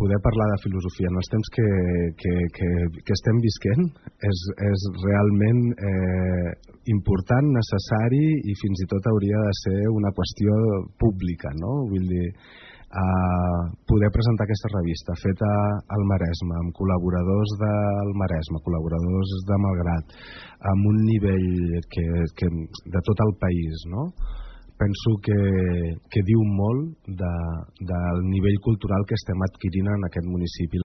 poder parlar de filosofia en els temps que estem visquent és realment important, necessari i fins i tot hauria de ser una qüestió pública, no? Vull dir, poder presentar aquesta revista feta al Maresme, amb col·laboradors del Maresme, col·laboradors de Malgrat, amb un nivell de tot el país, no? Penso que diu molt del nivell cultural que estem adquirint en aquest municipi.